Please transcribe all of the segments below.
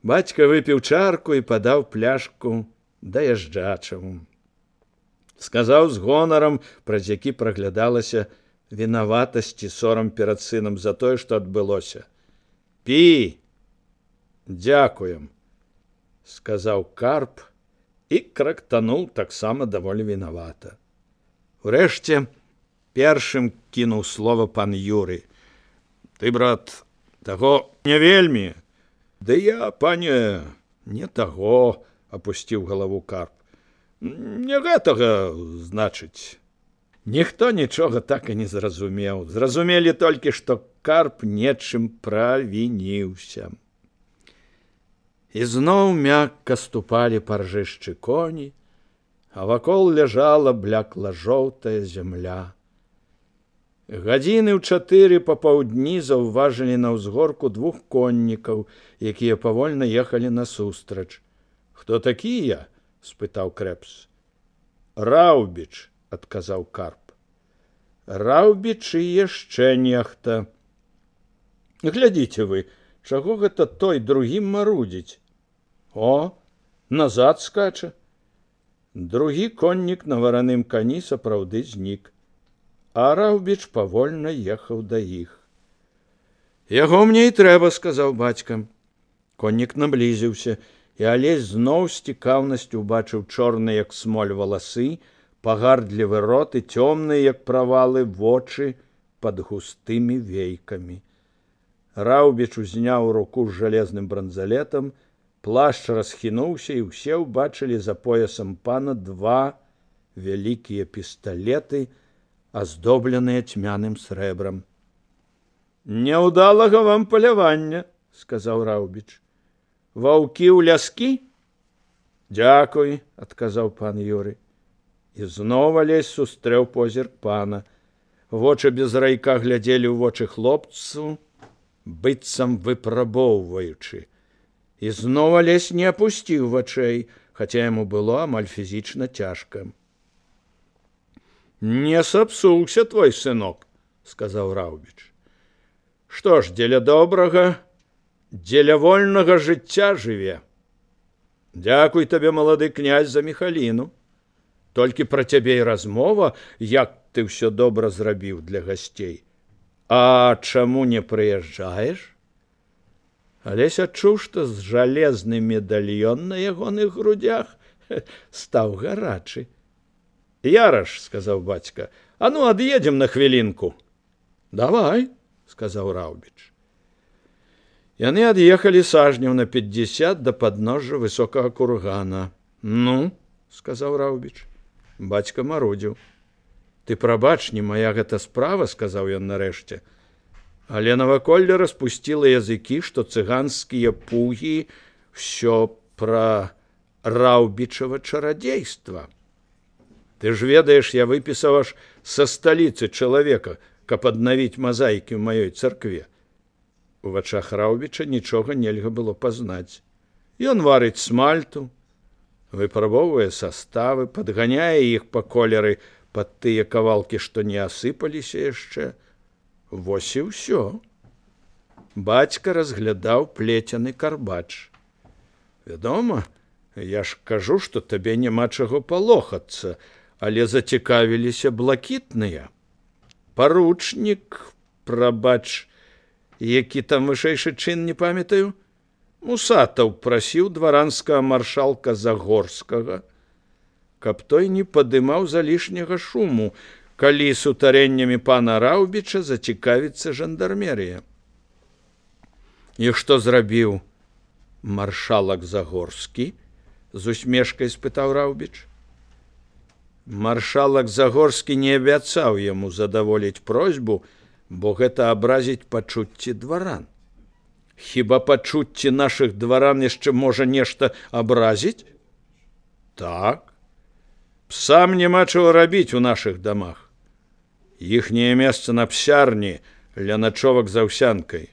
Бацька выпіў чарку і падаў пляшку даязджачаму. Сказаў з гонарам, праз які праглядалася вінаватасць і сорам перад сынам за тое, што адбылося. «Пі! Дзякуем!» – сказаў Карп і крактануў таксама даволі вінавата. Урэшце першым кінуў слова пан Юрый. «Ты, брат, таго не вельмі?» «Да я, пане, не таго», – апусціў галаву Карп. «Не гэтага, значыць». Ніхто нічога так і не зразумеў. Зразумелі толькі, што Карп нечым правініўся. І зноў мякка ступалі па ржышчы коні, а вакол ляжала блякла-жоўтая зямля. Гадзіны ў 4 папаўдні заўважылі на ўзгорку 2 коннікаў, якія павольна ехалі насустрач. «Хто такія?» – спытаў Крэпс. «Раўбіч», – адказаў Карп. «Раўбіч і яшчэ нехта. Глядзіце вы, чаго гэта той другім марудзіць? О, назад скача». Другі коннік на вараным кані сапраўды знік, а Раўбіч павольна ехаў да іх. «Яго мне і трэба», – сказаў бацька. Коннік наблізіўся, і Алесь зноў з цікаўнасцю убачыў чорныя, як смоль, валасы, пагардлівы рот і цёмныя, як правалы, вочы пад густымі вейкамі. Раўбіч узняў руку з жалезным бранзалетам, плашч расхінуўся, і ўсе ўбачылі за поясам пана 2 вялікія пісталеты, аздобленыя цьмяным срэбрам. «Няўдалага вам палявання», – сказаў Раўбіч. «Ваўкі ў ляскі?» «Дзякуй», – адказаў пан Юрый. І зноў Алесь сустрэў позірк пана. Вочы без райка глядзелі ў вочы хлопцу, быццам выпрабоўваючы. І зноў Алесь не апусціў вачэй, хаця яму было амаль фізічна цяжка. «Не сапсуўся твой сынок», – сказаў Раўбіч. «Што ж, дзеля добрага, дзеля вольнага жыцця жыве. Дзякуй табе, малады князь, за Міхаліну. Толькі пра цябе і размова, як ты ўсё добра зрабіў для гасцей. А чаму не прыязджаеш?» Алесь адчуў, што з жалезны медальён на ягоных грудях стаў гарачы. «Яраш», – сказаў бацька, – «а ну ад'едзем на хвілінку». «Давай», – сказаў Раўбіч. Яны ад'ехалі сажняў на 50 да падножжа высокага кургана. «Ну», – сказаў Раўбіч. Бацька марудзіў. «Ты прабач, не мая гэта справа», – сказаў ён нарэшце. Але наваколле распусціла языкі, што цыганскія пугі ўсё пра Раўбічава чарадзейства. «Ты ж ведаеш, я выпісаў аж са сталіцы чалавека, каб аднавіць мазаікі ў маёй царкве». У вачах Раўбіча нічога нельга было пазнаць. Ён варыць смальту, выпрабоўвае саставы, падганяе іх па колеры пад тыя кавалкі, што не асыпаліся яшчэ. Вось і ўсё. Бацька разглядаў плецяны карбач. «Вядома, я ж кажу, што табе няма чаго палохацца, але зацікавіліся блакітныя. Паручнік, прабач, які там вышэйшы чын, не памятаю, Мусатаў прасіў дваранскага маршалка Загорскага, каб той не падымаў залішняга шуму, калі сутарэннямі пана Раўбіча зацікавіцца жандармерія». «І што зрабіў маршалак Загорскі?» – з усмешкай спытаў Раўбіч. Маршалак Загорскі не абяцаў яму задаволіць просьбу, бо гэта абразіць пачуцці дваран. «Хіба пачуцці нашых дваран яшчэ можа нешта абразіць?» «Так. Псам няма чаго рабіць у нашых дамах. Іхняе месца на псярні ля начовак з аўсянкай.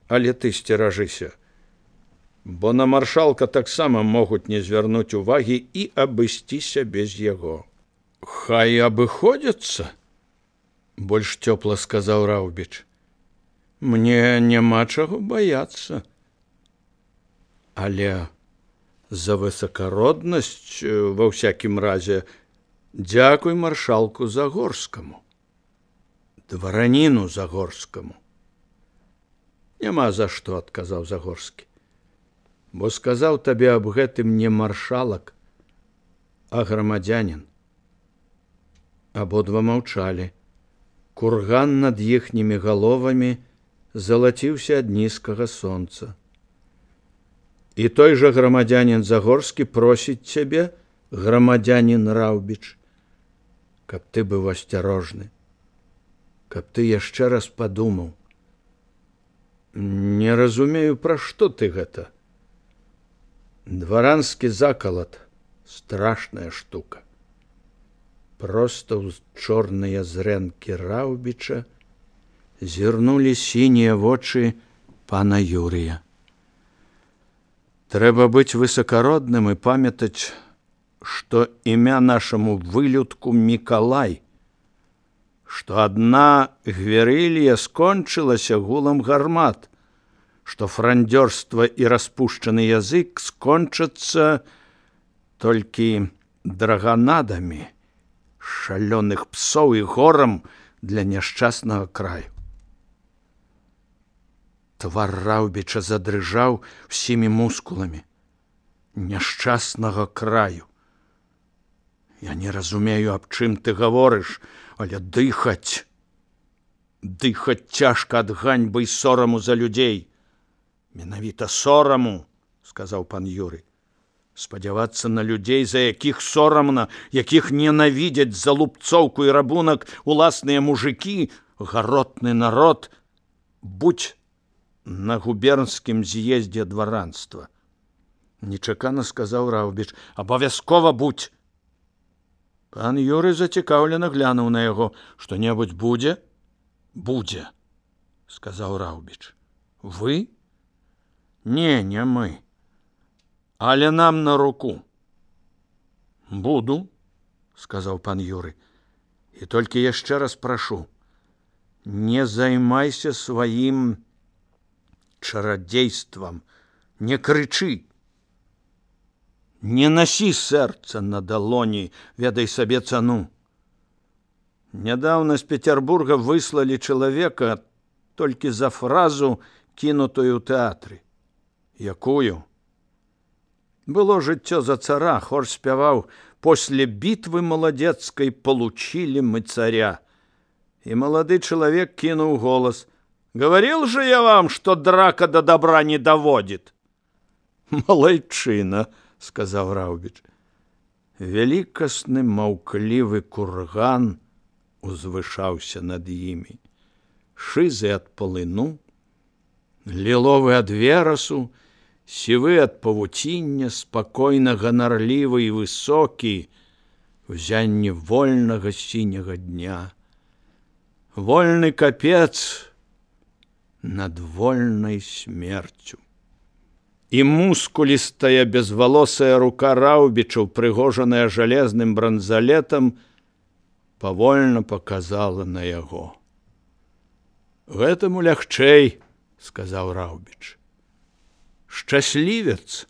Але ты сцеражыся, бо на маршалка таксама могуць не звярнуць увагі і абысціся без яго». «Хай абыходзяцца», – больш цёпла сказаў Раўбіч. «Мне няма чаго баяцца». Але за высокороднасць, ва ўсякім разе, дзякуй маршалку Загорскаму, двараніну Загорскаму. Няма за што, адказаў Загорскі, бо сказаў табе аб гэтым не маршалак, а грамадзянін. Абодва маўчалі. Курган над іхнімі галовамі залаціўся ад нізкага сонца. І той жа грамадзянін Загорскі просіць цябе, грамадзянін Раўбіч, каб ты быў асцярожны, каб ты яшчэ раз падумаў. Не разумею, пра што ты гэта. Дваранскі закалат – страшная штука. Проста ў чорныя зрэнкі Раўбіча зірнулі сінія вочы пана Юрія. Трэба быць высакародным і памятаць, што імя нашаму вылюдку Мікалай, што адна гверылья скончылася гулам гармат, што франдзёрства і распушчаны язык скончацца толькі драганадамі, шалёных псоў і горам для няшчаснага краю. Твар Раўбіча задрыжаў усімі мускуламі. Няшчаснага краю. Я не разумею, аб чым ты гаворыш, але дыхаць цяжка ад ганьбы і сораму за людзей. Менавіта сораму, сказаў пан Юрый. Спадзявацца на людзей, за якіх сорамна, якіх ненавідзяць за лупцоўку і рабунак уласныя мужыкі, гаротны народ, будь на губернскім з'ездзе дваранства. Нечакана сказаў Раўбіч, абавязкова будь. Пан Юрый зацікаўлена глянуў на яго. Што-небудзь будзе? Будзе, сказаў Раўбіч. Вы? Не мы. Але нам на руку. Буду, сказаў пан Юрый. І толькі яшчэ раз прашу, не займайся сваім чарадзействам, не крычы. Не насі сэрца на далоні, ведай сабе цану. Нядаўна з Петербурга выслалі чалавека толькі за фразу, кінутую ў тэатры. Якую? Было жыццё за цара, хор спяваў «После битвы молодецкой получили мы царя». И молодый человек кинул голос «Говорил же я вам, что драка до добра не доводит». «Малайчына», — сказаў Раўбіч. Вялікасны маўклівы курган узвышаўся над імі. Шызы ад палыну, ліловы ад верасу, сівы ад павуціння, спакойна ганарлівы і высокі, узянне вольнага сіняга дня. Вольны капец над вольнай смерцю. І мускулістая безвалосая рука Раўбіча, упрыгожаная жалезным бранзалетам, павольна паказала на яго. «Гэтаму лягчэй», — сказаў Раўбіч. «Шчаслівец».